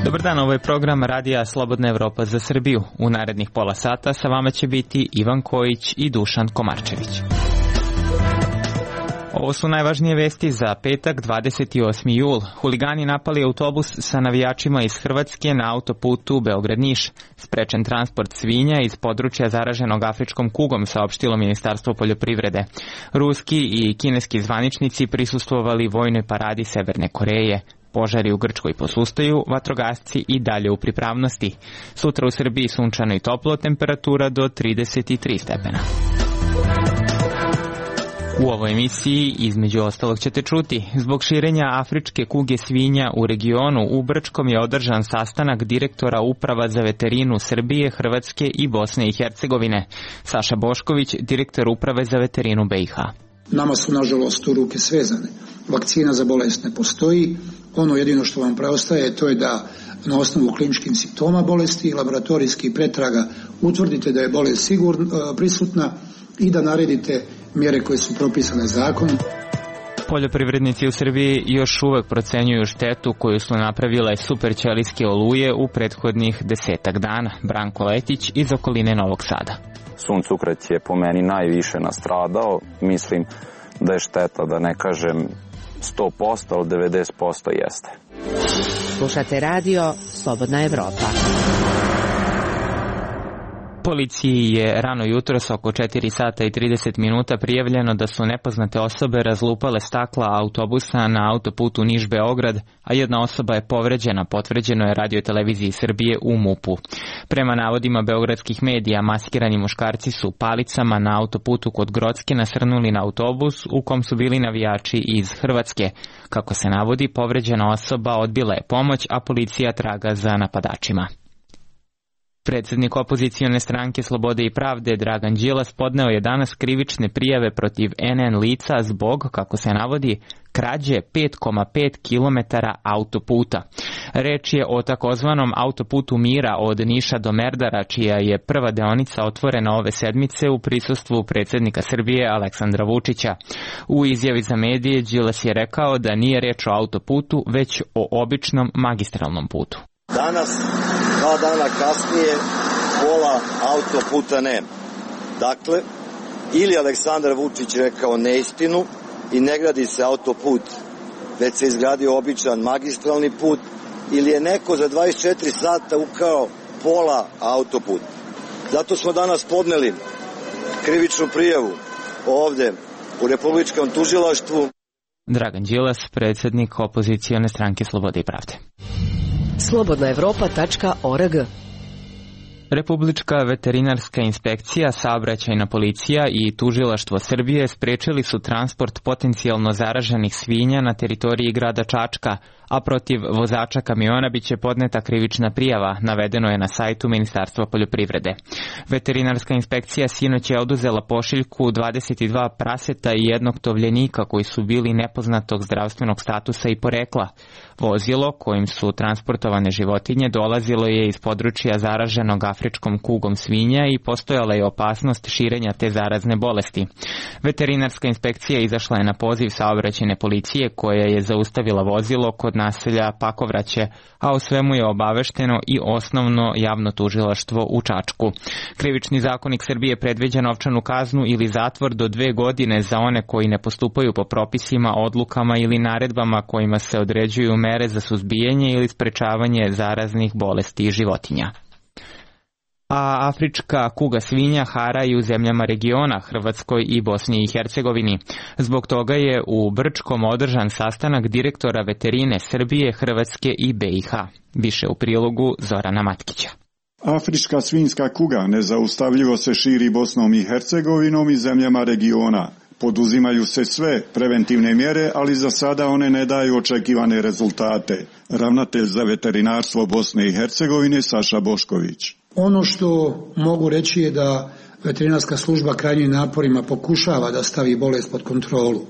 Dobar dan, ovo je program Radija Slobodna Evropa za Srbiju. U narednih pola sata sa vama će biti Ivan Kojić i Dušan Komarčević. Ovo su najvažnije vesti za petak, 28. jul. Huligani napali autobus sa navijačima iz Hrvatske na autoputu Beograd-Niš. Sprečen transport svinja iz područja zaraženog afričkom kugom, saopštilo Ministarstvo poljoprivrede. Ruski i kineski zvaničnici prisustvovali vojnoj paradi Severne Koreje. Požari u Grčkoj posustaju, vatrogasci i dalje u pripravnosti. Sutra u Srbiji sunčano i toplo, temperatura do 33 stepena. U ovoj emisiji između ostalog ćete čuti, zbog širenja afričke kuge svinja u regionu u Brčkom je održan sastanak direktora Uprava za veterinu Srbije, Hrvatske i Bosne i Hercegovine. Saša Bošković, direktor Uprave za veterinu BiH. Nama su nažalost ruke svezane. Vakcina za bolest ne postoji. Ono jedino što vam preostaje to je da na osnovu kliničkih simptoma bolesti i laboratorijskih pretraga utvrdite da je bolest sigurno prisutna i da naredite mjere koje su propisane zakonom. Poljoprivrednici u Srbiji još uvek procenjuju štetu koju su napravile superćelijske oluje u prethodnih 10 dana. Branko Letić iz okoline Novog Sada. Suncokret je po meni najviše nastradao. Mislim da je šteta, da ne kažem 100%, ali 90% jeste. Slušate radio Slobodna Evropa. Policiji je rano jutros oko 4 sata i 30 minuta prijavljeno da su nepoznate osobe razlupale stakla autobusa na autoputu Niš-Beograd, a jedna osoba je povređena, potvrđeno je Radio-televiziji Srbije u MUP-u. Prema navodima beogradskih medija, maskirani muškarci su palicama na autoputu kod Grocke nasrnuli na autobus u kom su bili navijači iz Hrvatske. Kako se navodi, povređena osoba odbila je pomoć, a policija traga za napadačima. Predsjednik opozicione stranke Slobode i pravde Dragan Đilas podneo je danas krivične prijave protiv NN lica zbog, kako se navodi, krađe 5,5 km autoputa. Reč je o takozvanom autoputu Mira od Niša do Merdara, čija je prva deonica otvorena ove sedmice u prisustvu predsjednika Srbije Aleksandra Vučića. U izjavi za medije Đilas je rekao da nije reč o autoputu, već o običnom magistralnom putu. Danas, 2 dana kasnije, pola autoputa nema. Dakle, ili Aleksandar Vučić rekao neistinu i ne gradi se autoput, već se izgradio običan magistralni put, ili je neko za 24 sata ukrao pola autoputa. Zato smo danas podneli krivičnu prijavu ovde u Republičkom tužilaštvu. Dragan Đilas, predsjednik opozicione stranke Slobode i pravde. slobodnaevropa.org. Republička veterinarska inspekcija, saobraćajna policija i tužilaštvo Srbije sprečili su transport potencijalno zaraženih svinja na teritoriji grada Čačka, a protiv vozača kamiona biće podneta krivična prijava, navedeno je na sajtu Ministarstva poljoprivrede. Veterinarska inspekcija sinoć je oduzela pošiljku 22 praseta i jednog tovljenika koji su bili nepoznatog zdravstvenog statusa i porekla. Vozilo kojim su transportovane životinje dolazilo je iz područja zaraženog afričkom kugom svinja i postojala je opasnost širenja te zarazne bolesti. Veterinarska inspekcija izašla je na poziv saobraćajne policije koja je zaustavila vozilo kod naselja Pakovraće, a o svemu je obavešteno i osnovno javno tužilaštvo u Čačku. Krivični zakonik Srbije predviđa novčanu kaznu ili zatvor do 2 godine za one koji ne postupaju po propisima, odlukama ili naredbama kojima se određuju mere za suzbijanje ili sprečavanje zaraznih bolesti životinja. A afrička kuga svinja hara i u zemljama regiona, Hrvatskoj i Bosni i Hercegovini. Zbog toga je u Brčkom održan sastanak direktora veterine Srbije, Hrvatske i BiH. Više u prilogu Zorana Matkića. Afrička svinjska kuga nezaustavljivo se širi Bosnom i Hercegovinom i zemljama regiona. Poduzimaju se sve preventivne mjere, ali za sada one ne daju očekivane rezultate. Ravnatelj za veterinarstvo Bosne i Hercegovine Saša Bošković. Ono što mogu reći je da veterinarska služba krajnjim naporima pokušava da stavi bolest pod kontrolu.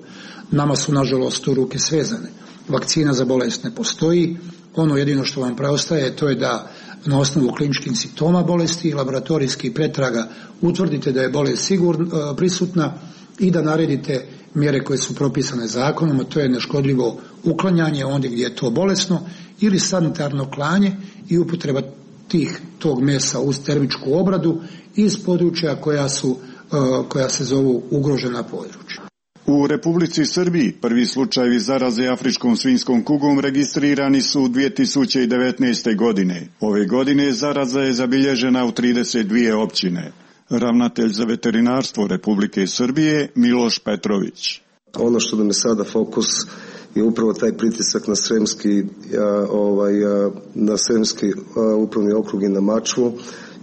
Nama su nažalost ruke svezane. Vakcina za bolest ne postoji. Ono jedino što vam preostaje to je da na osnovu kliničkih simptoma bolesti i laboratorijskih pretraga utvrdite da je bolest sigurno prisutna i da naredite mjere koje su propisane zakonom, a to je neškodljivo uklanjanje ondje gdje je to bolesno ili sanitarno klanje i upotreba tog mesa uz termičku obradu iz područja koja se zovu ugrožena područja. U Republici Srbiji prvi slučajevi zaraze afričkom svinjskom kugom registrirani su 2019. godine. Ove godine zaraza je zabilježena u 32 općine. Ravnatelj za veterinarstvo Republike Srbije Miloš Petrović. Ono što nam je sada fokus je upravo taj pritisak na Sremski upravni okrug i na Mačvu,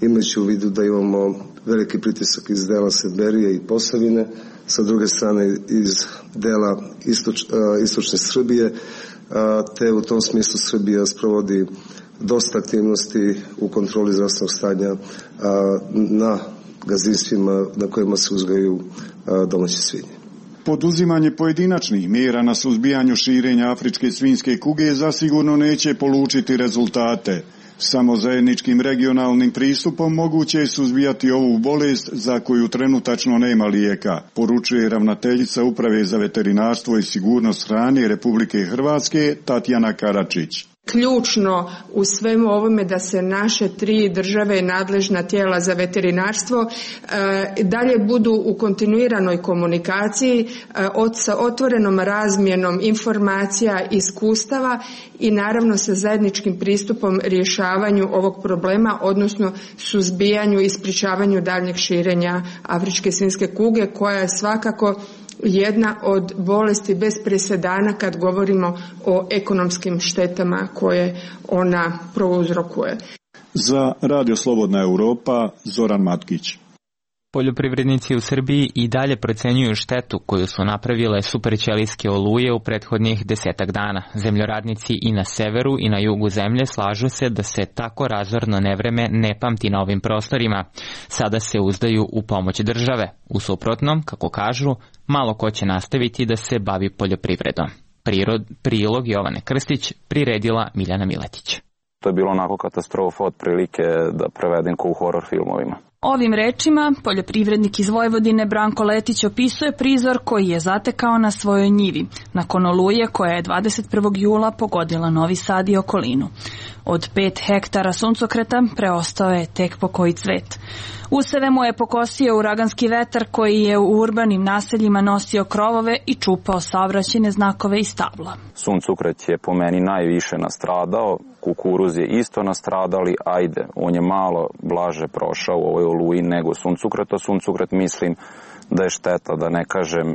imajući u vidu da imamo veliki pritisak iz dela Sedberije i Posavine, sa druge strane iz dela istočne Srbije, te u tom smislu Srbija sprovodi dosta aktivnosti u kontroli zdravstvenog stanja na gazdinstvima na kojima se uzgajaju domaće svinje. Poduzimanje pojedinačnih mjera na suzbijanju širenja afričke svinjske kuge zasigurno neće polučiti rezultate. Samo zajedničkim regionalnim pristupom moguće je suzbijati ovu bolest za koju trenutačno nema lijeka, poručuje ravnateljica Uprave za veterinarstvo i sigurnost hrane Republike Hrvatske Tatjana Karačić. Ključno u svemu ovome da se naše 3 države nadležna tijela za veterinarstvo dalje budu u kontinuiranoj komunikaciji sa otvorenom razmjenom informacija, iskustava i naravno sa zajedničkim pristupom rješavanju ovog problema, odnosno suzbijanju i sprječavanju daljnjeg širenja afričke svinjske kuge, koja je svakako jedna od bolesti bez presedana kad govorimo o ekonomskim štetama koje ona prouzrokuje. Za Radio Slobodna Europa, Zoran Matkić. Poljoprivrednici u Srbiji i dalje procenjuju štetu koju su napravile superćelijske oluje u prethodnih 10 dana. Zemljoradnici i na severu i na jugu zemlje slažu se da se tako razorno nevreme ne pamti na ovim prostorima. Sada se uzdaju u pomoć države. U suprotnom, kako kažu, malo ko će nastaviti da se bavi poljoprivredom. Prilog Jovane Krstić priredila Miljana Miletić. To je bilo onako katastrofa otprilike da prevedem ko u horor filmovima. Ovim rečima poljoprivrednik iz Vojvodine Branko Letić opisuje prizor koji je zatekao na svojoj njivi, nakon oluje koja je 21. jula pogodila Novi Sad i okolinu. Od 5 hektara suncokreta preostao je tek po koji cvet. Useve mu je pokosio uraganski vetar koji je u urbanim naseljima nosio krovove i čupao saobraćajne znakove i stabla. Suncokret je po meni najviše nastradao, kukuruz je isto nastradali, ajde, on je malo blaže prošao u ovoj oluji nego suncokret, a suncokret mislim da je šteta, da ne kažem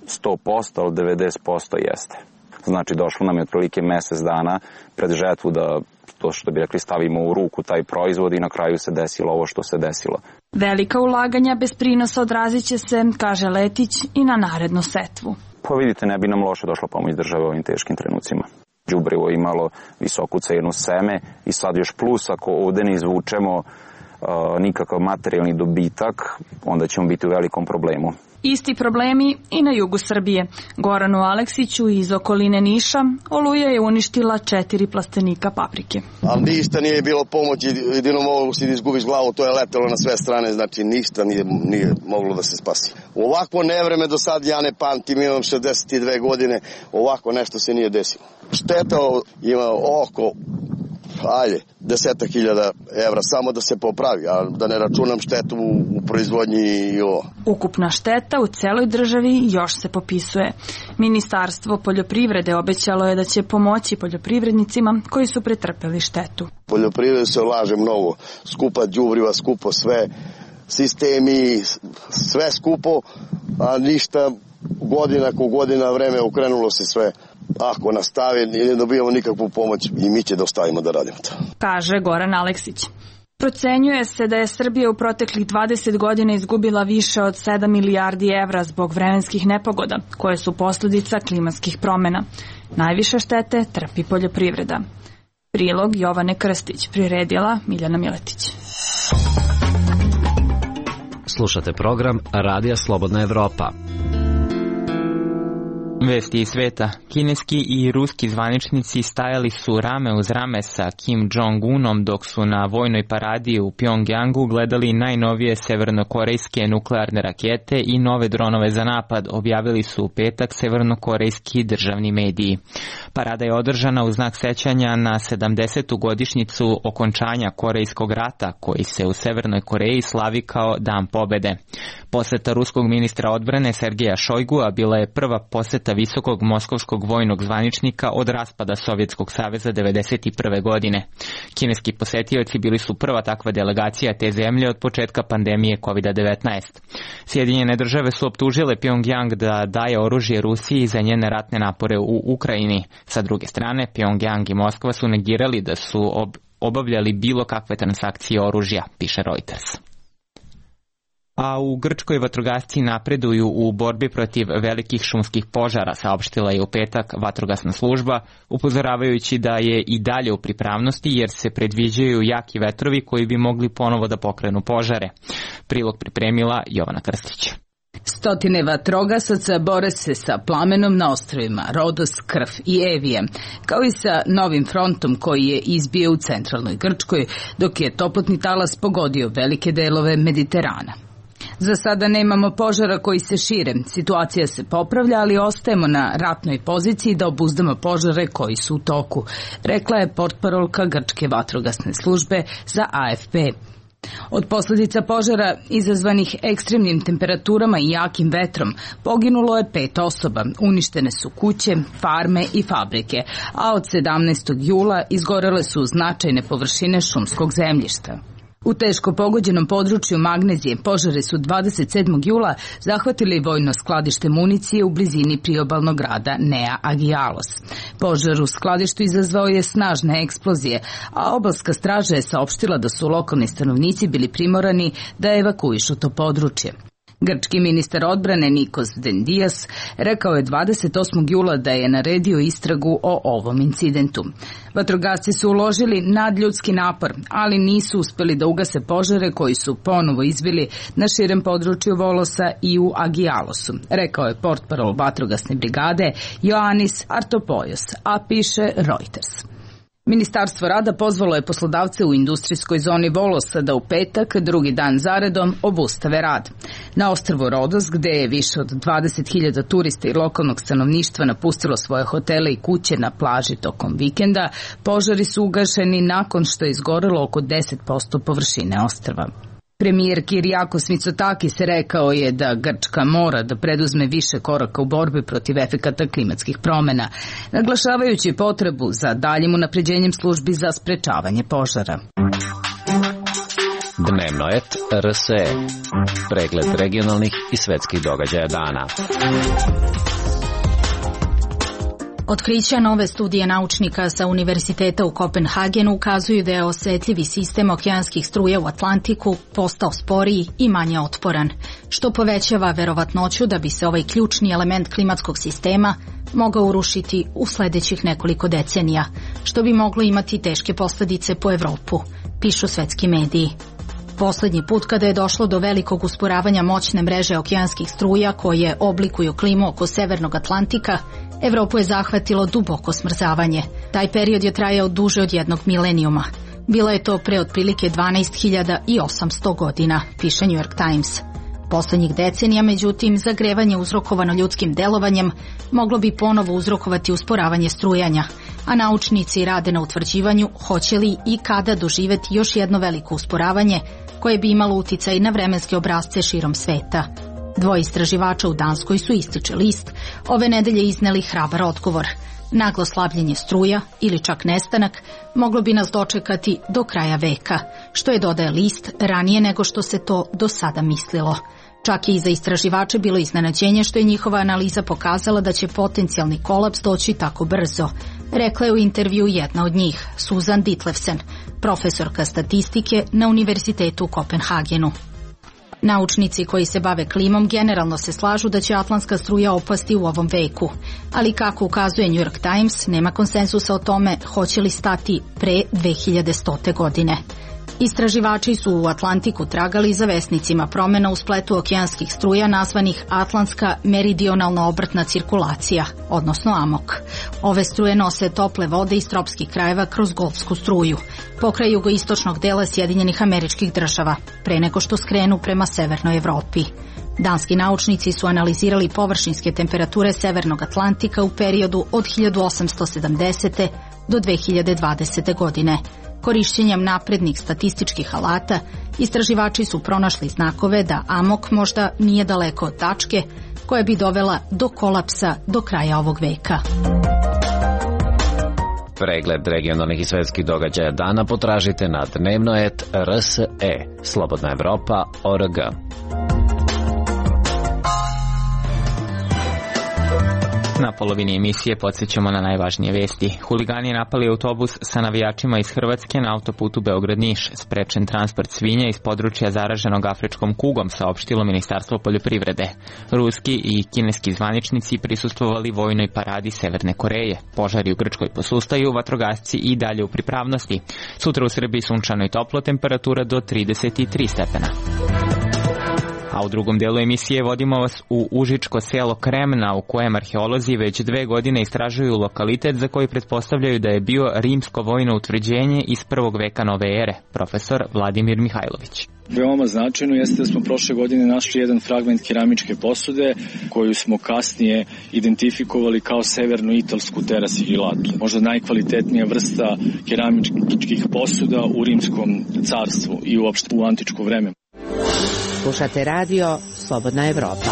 100%, ali 90% jeste. Znači došlo nam je otprilike mjesec dana pred žetvu da to što bi rekli stavimo u ruku taj proizvod i na kraju se desilo ovo što se desilo. Velika ulaganja bez prinosa odrazit će se, kaže Letić, i na narednu setvu. Pa vidite, ne bi nam loše došla pomoć države u ovim teškim trenucima. Đubrivo imalo visoku cenu seme i sad još plus ako ovdje ne izvučemo nikakav materijalni dobitak, onda ćemo biti u velikom problemu. Isti problemi i na jugu Srbije. Goranu Aleksiću iz okoline Niša oluja je uništila 4 plastenika paprike. Ali ništa nije bilo pomoći, jedino moglo si da izgubiš glavu, to je letelo na sve strane, znači ništa nije moglo da se spasi. Ovako nevreme do sad ja ne pamtim, imam 62 godine, ovako nešto se nije desilo. Šteta ima oko 10.000 evra samo da se popravi, a da ne računam štetu u proizvodnji i ovo. Ukupna šteta u celoj državi još se popisuje. Ministarstvo poljoprivrede obećalo je da će pomoći poljoprivrednicima koji su pretrpeli štetu. Poljoprivreda se ulaže mnogo, skupa đubriva, skupo sve, sistemi, sve skupo, a ništa godina vreme okrenulo se sve. Ako nastave, ne dobijamo nikakvu pomoć i mi će da ostavimo da radimo to. Kaže Goran Aleksić. Procenjuje se da je Srbija u proteklih 20 godina izgubila više od 7 milijardi evra zbog vremenskih nepogoda, koje su posljedica klimatskih promjena. Najviše štete trpi poljoprivreda. Prilog Jovane Krstić, priredila Miljana Miletić. Slušate program Radija Slobodna Evropa. Vesti iz sveta. Kineski i ruski zvaničnici stajali su rame uz rame sa Kim Jong-unom dok su na vojnoj paradi u Pjongjangu gledali najnovije severnokorejske nuklearne rakete i nove dronove za napad, objavili su u petak severnokorejski državni mediji. Parada je održana u znak sećanja na 70. godišnjicu okončanja Korejskog rata, koji se u Severnoj Koreji slavi kao Dan pobede. Poseta ruskog ministra odbrane Sergeja Šojgua bila je prva poseta visokog moskovskog vojnog zvaničnika od raspada Sovjetskog saveza 1991. godine. Kineski posetioci bili su prva takva delegacija te zemlje od početka pandemije COVID-19. Sjedinjene države su optužile Pjongjang da daje oružje Rusiji za njene ratne napore u Ukrajini. Sa druge strane, Pjongjang i Moskva su negirali da su obavljali bilo kakve transakcije oružja, piše Reuters. A u Grčkoj vatrogasci napreduju u borbi protiv velikih šumskih požara, saopštila je u petak vatrogasna služba, upozoravajući da je i dalje u pripravnosti jer se predviđaju jaki vetrovi koji bi mogli ponovo da pokrenu požare. Prilog pripremila Jovana Krstić. Stotine vatrogasaca bore se sa plamenom na ostrvima Rodos, Krf i Evije, kao i sa novim frontom koji je izbio u centralnoj Grčkoj, dok je toplotni talas pogodio velike delove Mediterana. Za sada nemamo požara koji se šire, situacija se popravlja, ali ostajemo na ratnoj poziciji da obuzdamo požare koji su u toku, rekla je portparolka Grčke vatrogasne službe za AFP. Od posljedica požara izazvanih ekstremnim temperaturama i jakim vetrom poginulo je 5 osoba, uništene su kuće, farme i fabrike, a od 17. jula izgorele su značajne površine šumskog zemljišta. U teško pogođenom području Magnezije požari su 27. jula zahvatili vojno skladište municije u blizini priobalnog grada Nea Agialos. Požar u skladištu izazvao je snažne eksplozije, a obalska straža je saopštila da su lokalni stanovnici bili primorani da evakuišu to područje. Grčki ministar odbrane Nikos Dendias rekao je 28. jula da je naredio istragu o ovom incidentu. Vatrogasci su uložili nadljudski napor, ali nisu uspeli da ugase požare koji su ponovo izbili na širem području Volosa i u Agialosu, rekao je portparol vatrogasne brigade Ioannis Artopoulos, a piše Reuters. Ministarstvo rada pozvalo je poslodavce u industrijskoj zoni Volosa da u petak, drugi dan zaredom, obustave rad. Na ostrvu Rodos, gde je više od 20.000 turista i lokalnog stanovništva napustilo svoje hotele i kuće na plaži tokom vikenda, požari su ugašeni nakon što je izgorelo oko 10% površine ostrva. Premijer Kyriakos Mitsotakis rekao je da Grčka mora da preduzme više koraka u borbi protiv efekata klimatskih promena, naglašavajući potrebu za daljim unapređenjem službi za sprečavanje požara. Dnevnoet RSE. Pregled regionalnih i svetskih događaja dana. Otkrića nove studije naučnika sa Univerziteta u Kopenhagenu ukazuju da je osetljivi sistem okeanskih struja u Atlantiku postao sporiji i manje otporan, što povećava verovatnoću da bi se ovaj ključni element klimatskog sistema mogao urušiti u sledećih nekoliko decenija, što bi moglo imati teške posledice po Evropu, pišu svetski mediji. Poslednji put kada je došlo do velikog usporavanja moćne mreže okeanskih struja koje oblikuju klimu oko Severnog Atlantika, Evropu je zahvatilo duboko smrzavanje. Taj period je trajao duže od jednog milenijuma. Bilo je to pre otprilike 12.800 godina, piše New York Times. Poslednjih decenija, međutim, zagrevanje uzrokovano ljudskim delovanjem moglo bi ponovo uzrokovati usporavanje strujanja, a naučnici rade na utvrđivanju hoće li i kada doživeti još jedno veliko usporavanje koje bi imalo uticaj na vremenske obrasce širom sveta. Dvoje istraživača u Danskoj su, ističe list, ove nedelje izneli hrabar odgovor. Naglo slabljenje struja ili čak nestanak moglo bi nas dočekati do kraja veka, što je, dodaje list, ranije nego što se to do sada mislilo. Čak i za istraživače bilo iznenađenje što je njihova analiza pokazala da će potencijalni kolaps doći tako brzo, rekla je u intervju jedna od njih, Susan Ditlevsen, profesorka statistike na Univerzitetu u Kopenhagenu. Naučnici koji se bave klimom generalno se slažu da će atlantska struja opasti u ovom veku, ali kako ukazuje New York Times, nema konsenzusa o tome hoće li stati pre 2100. godine. Istraživači su u Atlantiku tragali za vesnicima promjena u spletu okeanskih struja nazvanih Atlantska meridionalna obrtna cirkulacija, odnosno AMOK. Ove struje nose tople vode iz tropskih krajeva kroz Golfsku struju, pokraj jugoistočnog dela Sjedinjenih Američkih Država, pre nego što skrenu prema severnoj Evropi. Danski naučnici su analizirali površinske temperature Severnog Atlantika u periodu od 1870. do 2020. godine. Korišćenjem naprednih statističkih alata, istraživači su pronašli znakove da AMOK možda nije daleko od tačke koja bi dovela do kolapsa do kraja ovog veka. Pregled regionalnih i svetskih događaja dana potražite na dnevno.rs.e, Slobodna Evropa.org. Na polovini emisije podsjećamo na najvažnije vesti. Huligani napali autobus sa navijačima iz Hrvatske na autoputu Beograd-Niš. Sprečen transport svinja iz područja zaraženog afričkom kugom, saopštilo Ministarstvo poljoprivrede. Ruski i kineski zvaničnici prisustvovali vojnoj paradi Severne Koreje. Požari u Grčkoj posustaju, vatrogasci i dalje u pripravnosti. Sutra u Srbiji sunčano i toplo, temperatura do 33 stepena. A u drugom delu emisije vodimo vas u užičko selo Kremna, u kojem arheolozi već 2 godine istražuju lokalitet za koji pretpostavljaju da je bio rimsko vojno utvrđenje iz 1. veka nove ere. Profesor Vladimir Mihajlović. Veoma značajno jeste da smo prošle godine našli jedan fragment keramičke posude koju smo kasnije identifikovali kao severno-italsku terasiljilatu. Možda najkvalitetnija vrsta keramičkih posuda u rimskom carstvu i uopšte u antičko vreme. Slušate radio Slobodna Evropa.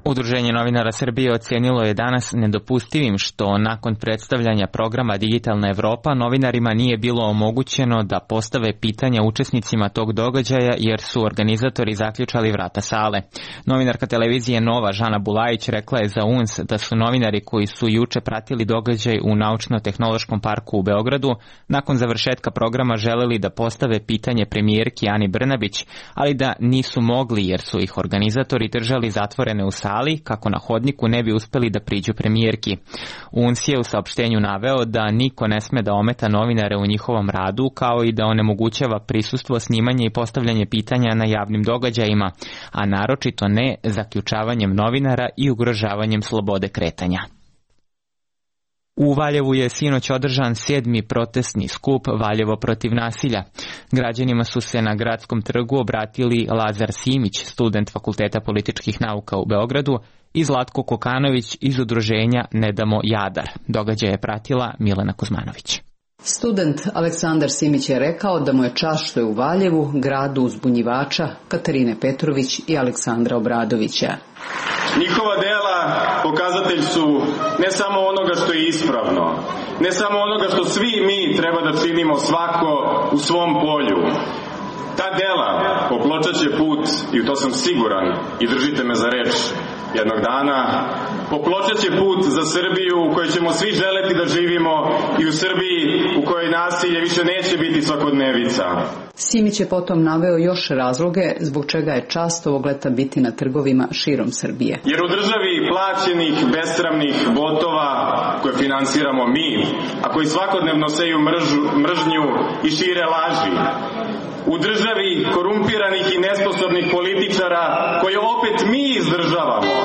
Udruženje novinara Srbije ocenilo je danas nedopustivim što nakon predstavljanja programa Digitalna Evropa novinarima nije bilo omogućeno da postave pitanja učesnicima tog događaja jer su organizatori zaključali vrata sale. Novinarka televizije Nova Žana Bulajić rekla je za UNS da su novinari koji su juče pratili događaj u Naučno-tehnološkom parku u Beogradu nakon završetka programa želeli da postave pitanje premijerki Ani Brnabić, ali da nisu mogli jer su ih organizatori držali zatvorene u sali kako na hodniku ne bi uspeli da priđu premijerki. UNS je u saopštenju naveo da niko ne sme da ometa novinare u njihovom radu, kao i da onemogućava prisustvo, snimanje i postavljanje pitanja na javnim događajima, a naročito ne zaključavanjem novinara i ugrožavanjem slobode kretanja. U Valjevu je sinoć održan 7. protestni skup Valjevo protiv nasilja. Građanima su se na Gradskom trgu obratili Lazar Simić, student Fakulteta političkih nauka u Beogradu, i Zlatko Kokanović iz udruženja Ne damo Jadar. Događaj je pratila Milena Kuzmanović. Student Aleksandar Simić je rekao da mu je čast što je u Valjevu, gradu uzbunjivača Katarine Petrović i Aleksandra Obradovića. Njihova dela pokazatelj su ne samo onoga što je ispravno, ne samo onoga što svi mi treba da činimo svako u svom polju. Ta dela popločaće put, i u to sam siguran, i držite me za reč, jednog dana popločaće put za Srbiju u kojoj ćemo svi želeti da živimo i u Srbiji u kojoj nasilje više neće biti svakodnevica. Simić je potom naveo još razloge zbog čega je čast ovog leta biti na trgovima širom Srbije. Jer u državi plaćenih, besramnih botova koje finansiramo mi, a koji svakodnevno seju mržnju i šire laži, u državi korumpiranih i nesposobnih političara koje opet mi izdržavamo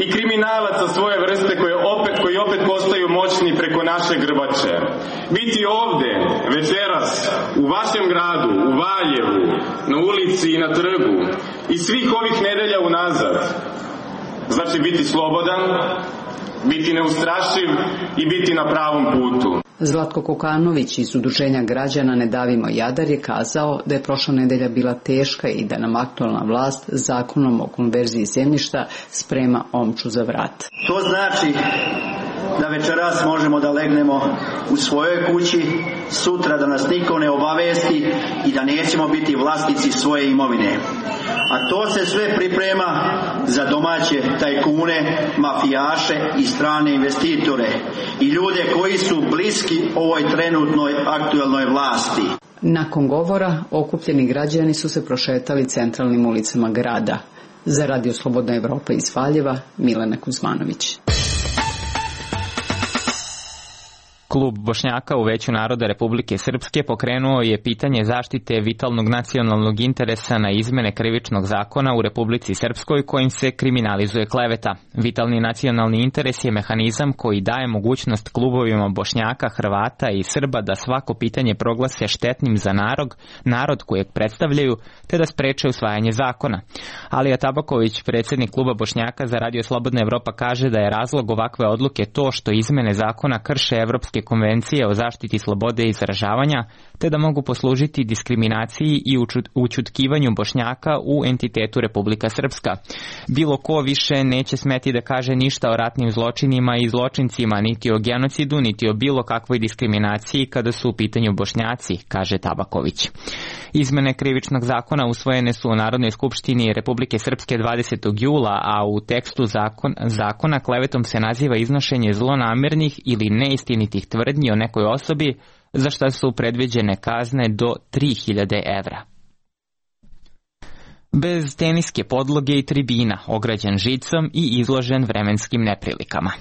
i kriminalaca svoje vrste koji opet postaju moćni preko naše grbače. Biti ovde večeras u vašem gradu, u Valjevu, na ulici i na trgu i svih ovih nedelja unazad znači biti slobodan, biti neustrašiv i biti na pravom putu. Zlatko Kokanović iz udruženja građana Ne davimo Jadar je kazao da je prošla nedelja bila teška i da nam aktualna vlast zakonom o konverziji zemljišta sprema omču za vrat. To znači da večeras možemo da legnemo u svojoj kući, sutra da nas niko ne obavesti i da nećemo biti vlasnici svoje imovine. A to se sve priprema za domaće tajkune, mafijaše i strane investitore i ljude koji su bliski ovoj trenutnoj aktuelnoj vlasti. Nakon govora, okupljeni građani su se prošetali centralnim ulicama grada. Za Radio Slobodna Evropa iz Valjeva, Milena Kuzmanović. Klub Bošnjaka u Veću naroda Republike Srpske pokrenuo je pitanje zaštite vitalnog nacionalnog interesa na izmene krivičnog zakona u Republici Srpskoj kojim se kriminalizuje kleveta. Vitalni nacionalni interes je mehanizam koji daje mogućnost klubovima Bošnjaka, Hrvata i Srba da svako pitanje proglase štetnim za narod kojeg predstavljaju, te da spreče usvajanje zakona. Alija Tabaković, predsjednik kluba Bošnjaka za Radio Slobodna Evropa, kaže da je razlog ovakve odluke to što izmene zakona krše evropske konvencije o zaštiti slobode izražavanja, te da mogu poslužiti diskriminaciji i učutkivanju Bošnjaka u entitetu Republika Srpska. Bilo ko više neće smeti da kaže ništa o ratnim zločinima i zločincima, niti o genocidu, niti o bilo kakvoj diskriminaciji kada su u pitanju Bošnjaci, kaže Tabaković. Izmene krivičnog zakona usvojene su u Narodnoj skupštini Republike Srpske 20. jula, a u tekstu zakona klevetom se naziva iznošenje zlonamernih ili neistinitih tvrdnji o nekoj osobi, za što su predviđene kazne do 3000 evra. Bez teniske podloge i tribina, ograđen žicom i izložen vremenskim neprilikama.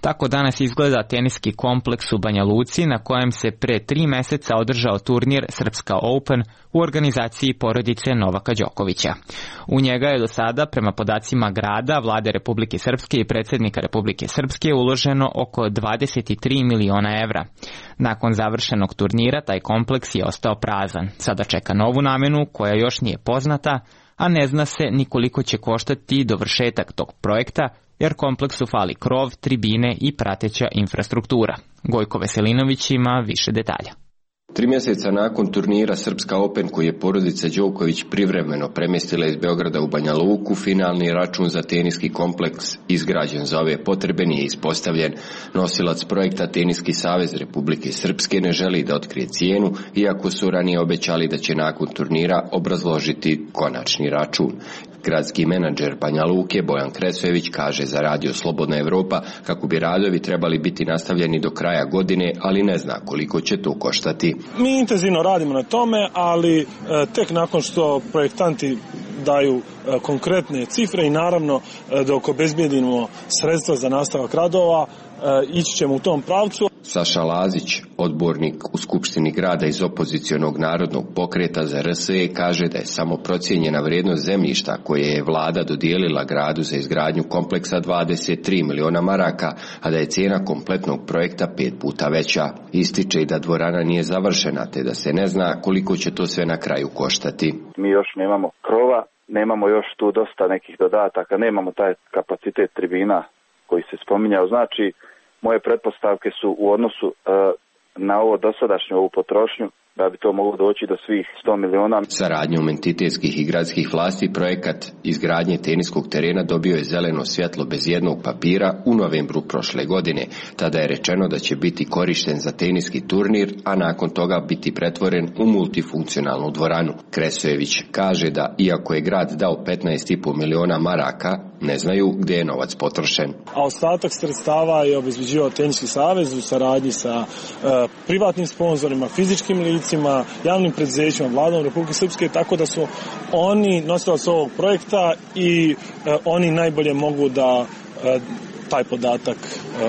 Tako danas izgleda teniski kompleks u Banja Luci na kojem se pre 3 meseca održao turnir Srpska Open u organizaciji porodice Novaka Đokovića. U njega je do sada, prema podacima grada, Vlade Republike Srpske i predsjednika Republike Srpske, uloženo oko 23 miliona evra. Nakon završenog turnira taj kompleks je ostao prazan. Sada čeka novu namenu koja još nije poznata, a ne zna se ni koliko će koštati dovršetak tog projekta, jer kompleksu fali krov, tribine i prateća infrastruktura. Gojko Veselinović ima više detalja. 3 mjeseca nakon turnira Srpska Open koji je porodica Đoković privremeno premjestila iz Beograda u Banja Luku, finalni račun za teniski kompleks izgrađen za ove potrebe nije ispostavljen. Nosilac projekta Teniski savez Republike Srpske ne želi da otkrije cijenu, iako su ranije obećali da će nakon turnira obrazložiti konačni račun. Gradski menadžer Banja Luke Bojan Kresojević kaže za Radio Slobodna Evropa kako bi radovi trebali biti nastavljeni do kraja godine, ali ne zna koliko će to koštati. Mi intenzivno radimo na tome, ali tek nakon što projektanti daju konkretne cifre i naravno dok obezbijedimo sredstva za nastavak radova, ići ćemo u tom pravcu. Saša Lazić, odbornik u Skupštini grada iz opozicionog narodnog pokreta za RSE, kaže da je samo procijenjena vrijednost zemljišta koje je vlada dodijelila gradu za izgradnju kompleksa 23 miliona maraka, a da je cijena kompletnog projekta 5 puta veća. Ističe i da dvorana nije završena, te da se ne zna koliko će to sve na kraju koštati. Mi još nemamo krova, nemamo još tu dosta nekih dodataka, nemamo taj kapacitet tribina koji se spominjao. Znači, moje pretpostavke su u odnosu na ovo dosadašnju ovu potrošnju da bi to moglo doći do svih 100 miliona. Saradnjom entitetskih i gradskih vlasti projekat izgradnje teniskog terena dobio je zeleno svjetlo bez jednog papira u novembru prošle godine. Tada je rečeno da će biti korišten za teniski turnir, a nakon toga biti pretvoren u multifunkcionalnu dvoranu. Kresojević kaže da iako je grad dao 15,5 miliona maraka, ne znaju gdje je novac potrošen. A ostatak sredstava je obezbeđivao Teniski savez u saradnji sa privatnim sponzorima, fizičkim licima, javnim preduzećima, vladom Republike Srpske, tako da su oni nosilac ovog projekta i oni najbolje mogu da taj podatak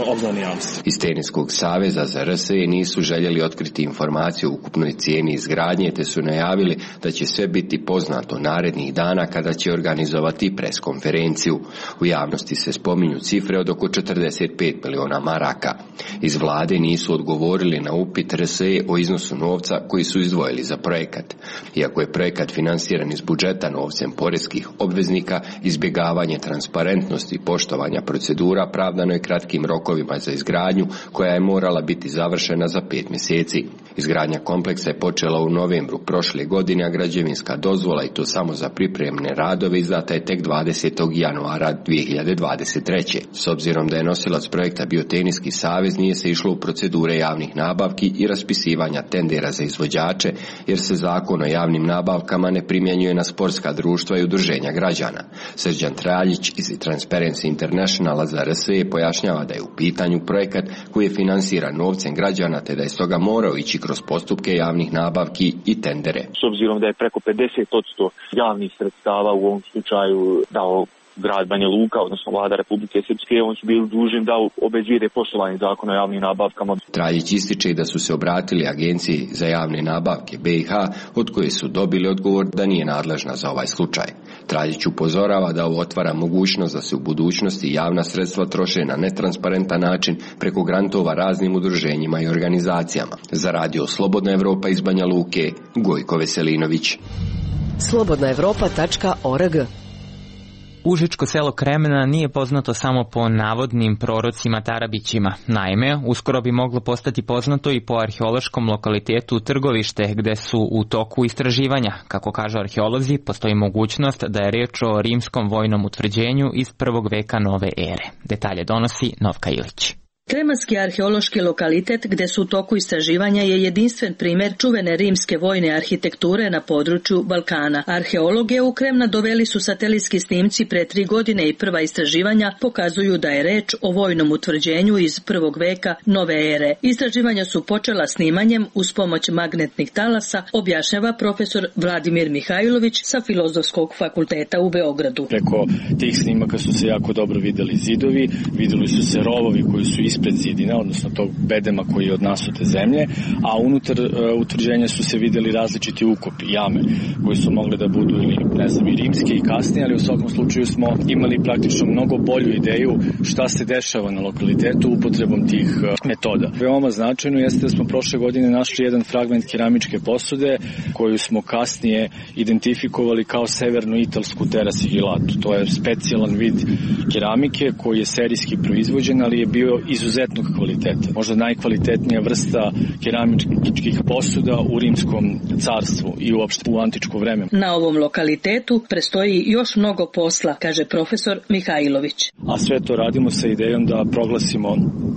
obznani javnosti. Iz Teniskog saveza za RSE nisu željeli otkriti informaciju o ukupnoj cijeni izgradnje, te su najavili da će sve biti poznato narednih dana kada će organizovati preskonferenciju. U javnosti se spominju cifre od oko 45 miliona maraka. Iz vlade nisu odgovorili na upit RSE o iznosu novca koji su izdvojili za projekat. Iako je projekat finansiran iz budžeta novcem poreskih obveznika, izbjegavanje transparentnosti i poštovanja procedura pravdano je kratkim rokovima za izgradnju koja je morala biti završena za 5 mjeseci. Izgradnja kompleksa je počela u novembru prošle godine, a građevinska dozvola, i to samo za pripremne radove, izdata je tek 20. januara 2023. S obzirom da je nosilac projekta bio Teniski savez, nije se išlo u procedure javnih nabavki i raspisivanja tendera za izvođače, jer se zakon o javnim nabavkama ne primjenjuje na sportska društva i udruženja građana. Srđan Traljić iz Transparency Internationala za RSE pojašnjava da je u pitanju projekat koji je finansiran novcem građana, te da je stoga morao ići kroz postupke javnih nabavki i tendere. S obzirom da je preko 50% javnih sredstava u ovom slučaju dao grad Banja Luka, odnosno vlada Republike Srpske, oni su bili dužni da obezbijede poštovanje zakona o javnim nabavkama. Traljić ističe da su se obratili Agenciji za javne nabavke BiH, od koje su dobili odgovor da nije nadležna za ovaj slučaj. Traljić upozorava da ovo otvara mogućnost da se u budućnosti javna sredstva troše na netransparentan način preko grantova raznim udruženjima i organizacijama. Za radio Slobodna Evropa iz Banja Luke, Gojko Veselinović. slobodnaevropa.org. Užičko selo Kremna nije poznato samo po navodnim prorocima Tarabićima. Naime, uskoro bi moglo postati poznato i po arheološkom lokalitetu Trgovište, gde su u toku istraživanja. Kako kažu arheolozi, postoji mogućnost da je reč o rimskom vojnom utvrđenju iz 1. veka nove ere. Detalje donosi Novka Ilić. Kremanski arheološki lokalitet gde su u toku istraživanja je jedinstven primjer čuvene rimske vojne arhitekture na području Balkana. Arheologe u Kremna doveli su satelitski snimci pre 3 godine i prva istraživanja pokazuju da je reč o vojnom utvrđenju iz 1. veka nove ere. Istraživanja su počela snimanjem uz pomoć magnetnih talasa, objašnjava profesor Vladimir Mihajlović sa Filozofskog fakulteta u Beogradu. Preko tih snimaka su se jako dobro videli zidovi, videli su se rovovi koji su ispred zidina, odnosno tog bedema koji je od nasute zemlje, a unutar utvrđenja su se videli različiti ukopi, jame, koji su mogli da budu ili, i rimske i kasnije, ali u svakom slučaju smo imali praktično mnogo bolju ideju šta se dešava na lokalitetu upotrebom tih metoda. Veoma značajno jeste da smo prošle godine našli jedan fragment keramičke posude koju smo kasnije identifikovali kao severno-italsku terasigilatu. To je specijalan vid keramike koji je serijski proizvođen, ali je bio izuzetnog kvaliteta. Možda najkvalitetnija vrsta keramičkih posuda u rimskom carstvu i uopšte u antičko vreme. Na ovom lokalitetu prestoji još mnogo posla, kaže profesor Mihajlović. A sve to radimo sa idejom da proglasimo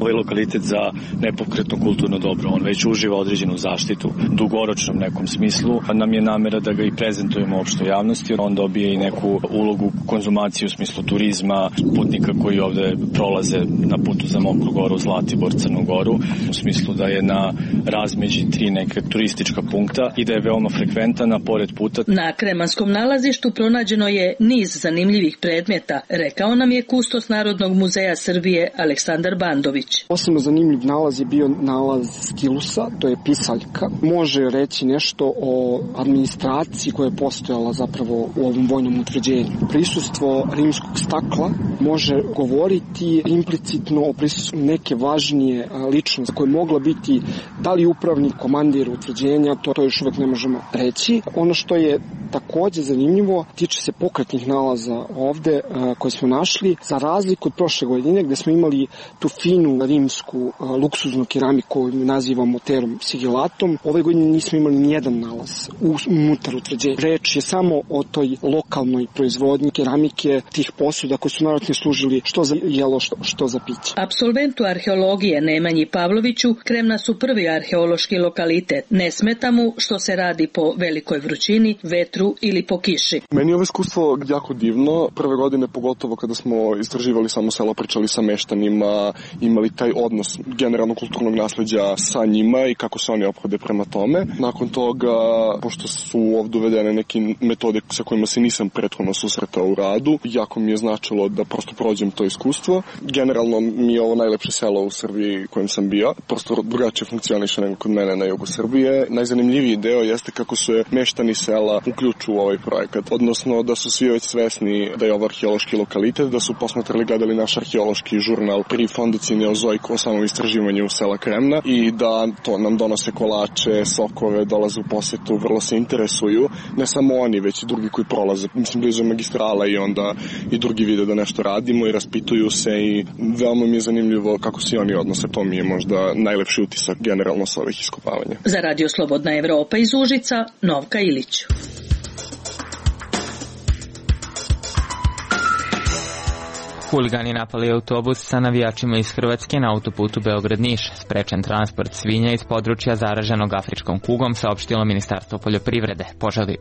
ovaj lokalitet za nepokretno kulturno dobro. On već uživa određenu zaštitu u dugoročnom nekom smislu. Nam je namera da ga i prezentujemo opštoj javnosti. On dobije i neku ulogu konzumacije u smislu turizma, putnika koji ovde prolaze na putu za Mokru Goru, Zlatibor, Crnu Goru, u smislu da je na razmeđi 3 neke turistička punkta i da je veoma frekventana pored puta. Na Kremanskom nalazištu pronađeno je niz zanimljivih predmeta, rekao nam je kustos Narodnog muzeja Srbije Aleksandar Bandović. Posebno zanimljiv nalaz je bio nalaz stilusa, to je pisaljka. Može reći nešto o administraciji koja je postojala zapravo u ovom vojnom utvrđenju. Prisustvo rimskog stakla može govoriti implicitno o prisustvu neke važnije ličnosti koje mogla biti da li upravnik, komandir utvrđenja, to još uvek ne možemo reći. Ono što je takođe zanimljivo tiče se pokretnih nalaza ovde koje smo našli, za razliku od prošle godine gde smo imali tu finu rimsku luksuznu keramiku koju nazivamo terom sigilatom. Ove godine nismo imali nijedan nalaz unutar utvrđenja. Reč je samo o toj lokalnoj proizvodnji keramike, tih posuda koji su naravno služili što za jelo, što za piće. Absolventu arheologije Nemanji Pavloviću Kremna su prvi arheološki lokalitet. Ne smeta mu što se radi po velikoj vrućini, vetru ili po kiši. Meni je ovo iskustvo jako divno. Prve godine, pogotovo kada smo istraživali samo selo, pričali sa meštanima, imali taj odnos generalno kulturnog nasleđa sa njima i kako se oni ophode prema tome. Nakon toga, pošto su ovdje uvedene neke metode sa kojima se nisam prethodno susretao u radu, jako mi je značilo da prosto prođem to iskustvo. Generalno mi je ovo najlepše selo u Srbiji kojem sam bio. Prosto drugačije funkcioniše nego kod mene na jugu Srbije. Najzanimljiviji deo jeste kako su meštani sela uključuju u ovaj projekat. Odnosno da su svi već svesni da je ovo arheološki lokalitet, da su posmatrali, gledali naš arheološki žurnal pri Fondaciji Neozoiku o samom istraživanju sela Kremna i da to nam donose kolače, sokove, dolaze u posetu, vrlo se interesuju. Ne samo oni, već i drugi koji prolaze. Mislim, blizu magistrala i onda i drugi vide da nešto radimo i raspituju se i veoma mi je zanimljivo kako se oni odnose. To mi je možda najlepši utisak generalno sa ovih iskopavanja. Za Radio Slobodna Evropa iz Užica, Novka Ilić. Huligani napali autobus sa navijačima iz Hrvatske na autoputu Beograd-Niš. Sprečen transport svinja iz područja zaraženog afričkom kugom, saopštilo Ministarstvo poljoprivrede.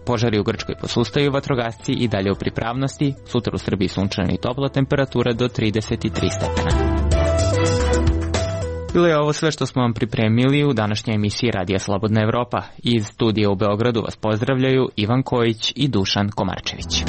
Požari u Grčkoj posustaju, vatrogasci i dalje u pripravnosti. Sutra u Srbiji sunčana i topla temperatura do 33 stepena. Bilo je ovo sve što smo vam pripremili u današnjoj emisiji Radija Slobodna Evropa. Iz studija u Beogradu vas pozdravljaju Ivan Kojić i Dušan Komarčević.